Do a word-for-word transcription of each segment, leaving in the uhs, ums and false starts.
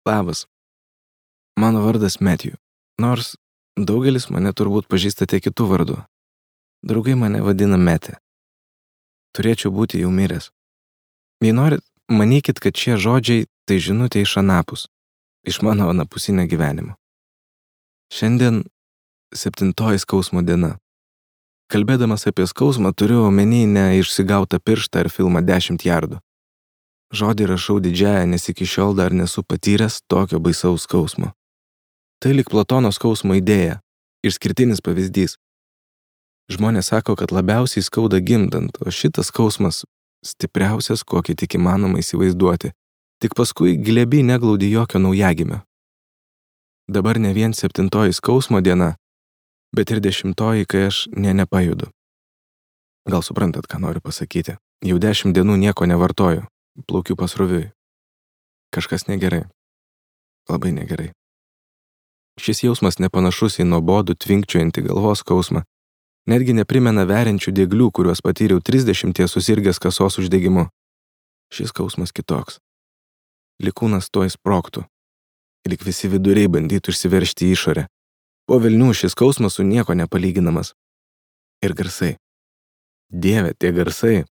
Labas. Mano vardas Matthew, nors daugelis mane turbūt pažįstate kitų vardų. Draugai mane vadina Metė. Turėčiau būti jau miręs. Jei norit, manykit, kad šie žodžiai tai žinutė iš anapus, iš mano anapusinio gyvenimo. Šiandien septintoji skausmo diena. Kalbėdamas apie skausmą turiu omeny ne išsigautą pirštą ar filmą dešimt jardų. Žodį rašau didžiąją, nes iki šiol dar nesu patyręs tokio baisaus skausmo. Tai lyg Platono skausmo idėja, išskirtinis pavyzdys. Žmonės sako, kad labiausiai skauda gimdant, o šitas skausmas stipriausias, kokį tik įmanoma įsivaizduoti. Tik paskui glėby neglaudi jokio naujagimio. Dabar ne vien septintoji skausmo diena, bet ir dešimtoji, kai aš ne nepajudu. Gal suprantat, ką noriu pasakyti. Jau dešimt dienų nieko nevartoju, plaukiu pasroviui. Kažkas negerai. Labai negerai. Šis jausmas nepanašus į nuobodų tvinkčiojantį galvos skausmą. Netgi neprimena veriančių dieglių, kuriuos patyriau trisdešimties susirgęs kasos uždegimu. Šis skausmas kitoks. Lyg kūnas tuoj sprogtų. Lyg visi viduriai bandytų išsiveržti į išorę. Po velnių šis skausmas su nieko nepalyginamas. Ir garsai. Dieve, tie garsai.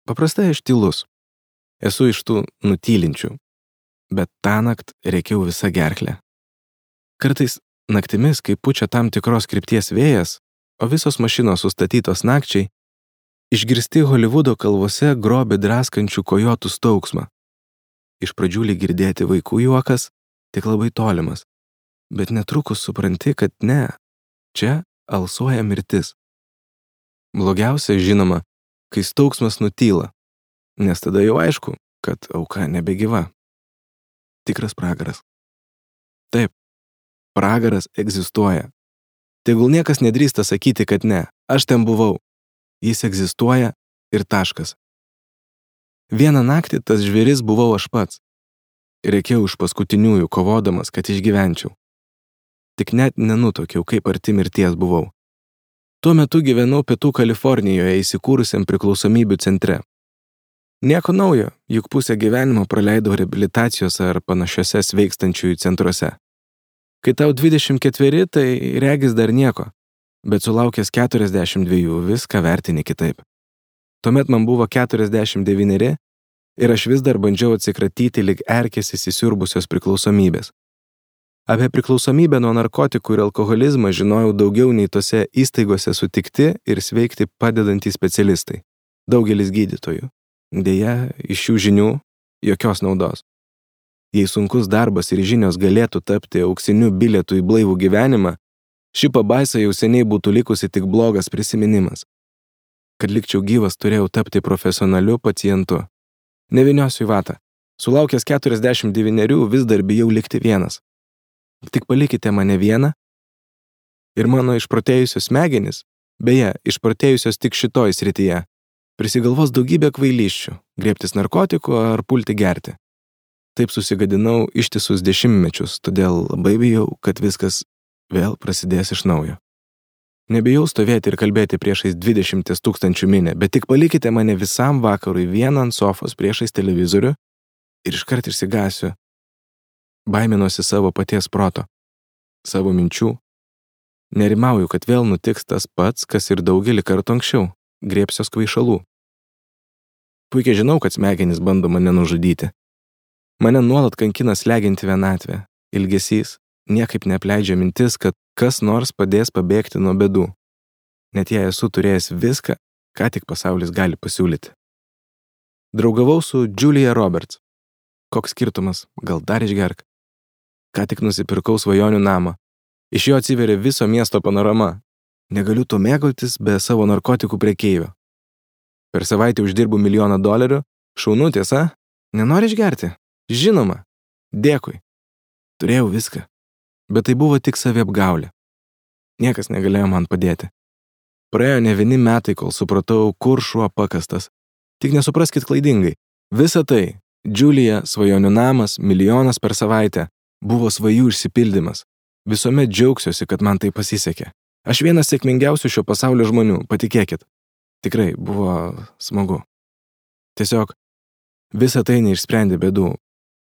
Paprastai aš tylus. Esu iš tų nutylinčių. Bet tąnakt rėkiau visą gerklę. Kartais naktimis, kai pučia tam tikros krypties vėjas, o visos mašinos sustatytos nakčiai, išgirsti Holivudo kalvose grobį draskančių kojotų staugsmą. Iš pradžių lyg girdėti vaikų juokas, tik labai tolimas. Bet netrukus supranti, kad ne, čia alsuoja mirtis. Blogiausia, žinoma, kai staugsmas nutyla, nes tada jau aišku, kad auka nebegyva. Tikras pragaras. Taip, pragaras egzistuoja. Tegul niekas nedrįsta sakyti, kad ne, aš ten buvau. Jis egzistuoja ir taškas. Vieną naktį tas žvėris buvau aš pats. Reikėjau iš paskutiniųjų kovodamas, kad išgyvenčiau. Tik net nenutokiau, kaip arti mirties buvau. Tuo metu gyvenau Pietų Kalifornijoje įsikūrusiam priklausomybių centre. Nieko naujo, juk pusę gyvenimo praleidau reabilitacijos ar panašiose sveikstančiųjų centruose. Kai tau dvidešimt ketveri, tai regis dar nieko, bet sulaukęs keturiasdešimt dviejų viską vertini kitaip. Tuomet man buvo keturiasdešimt devyneri ir aš vis dar bandžiau atsikratyti lyg erkės įsisiurbusios priklausomybės. Apie priklausomybę nuo narkotikų ir alkoholizmą žinojau daugiau nei tose įstaigose sutikti ir sveikti padedantys specialistai, daugelis gydytojų. Deja, iš šių žinių jokios naudos. Jei sunkus darbas ir žinios galėtų tapti auksiniu bilietu į blaivų gyvenimą, ši pabaisa jau seniai būtų likusi tik blogas prisiminimas. Kad likčiau gyvas, turėjau tapti profesionaliu pacientu. Nevyniosiu į vatą. Sulaukęs keturiasdešimt devynerių vis dar bijau likti vienas. Tik palikite mane vieną ir mano išprotėjusios smegenys, beje, išprotėjusios tik šitoj srityje, prisigalvos daugybę kvailysčių, griebtis narkotikų ar pulti gerti. Taip susigadinau ištisus dešimtmečius, todėl labai bijau, kad viskas vėl prasidės iš naujo. Nebijau stovėti ir kalbėti priešais dvidešimt tūkstančių minę, bet tik palikite mane visam vakarui vieną ant sofos priešais televizorių ir iškart išsigąsiu. Baiminosi savo paties proto, savo minčių. Nerimauju, kad vėl nutiks tas pats, kas ir daugelį kartų anksčiau, griebsiuos kvaišalų. Puikiai žinau, kad smegenys bando mane nužudyti. Mane nuolat kankina slegianti vienatvė, ilgesys, niekaip neapleidžia mintis, kad kas nors padės pabėgti nuo bėdų. Net jei esu turėjęs viską, ką tik pasaulis gali pasiūlyti. Draugavau su Julia Roberts. Koks skirtumas, gal dar išgerk. Ką tik nusipirkau svajonių namą. Iš jo atsiveria viso miesto panorama. Negaliu to mėgautis be savo narkotikų prekeivio. Per savaitę uždirbu milijoną dolerių. Šaunu, tiesa? Nenori išgerti? Žinoma. Dėkui. Turėjau viską. Bet tai buvo tik saviapgaulė. Niekas negalėjo man padėti. Praėjo ne vieni metai, kol supratau, kur šuo pakastas. Tik nesupraskit klaidingai. Visa tai, Julia, svajonių namas, milijonas per savaitę, buvo svajų išsipildymas. Visuomet džiaugsiuosi, kad man tai pasisekė. Aš vienas sėkmingiausių šio pasaulio žmonių, patikėkit. Tikrai buvo smagu. Tiesiog, visa tai neišsprendė bėdų,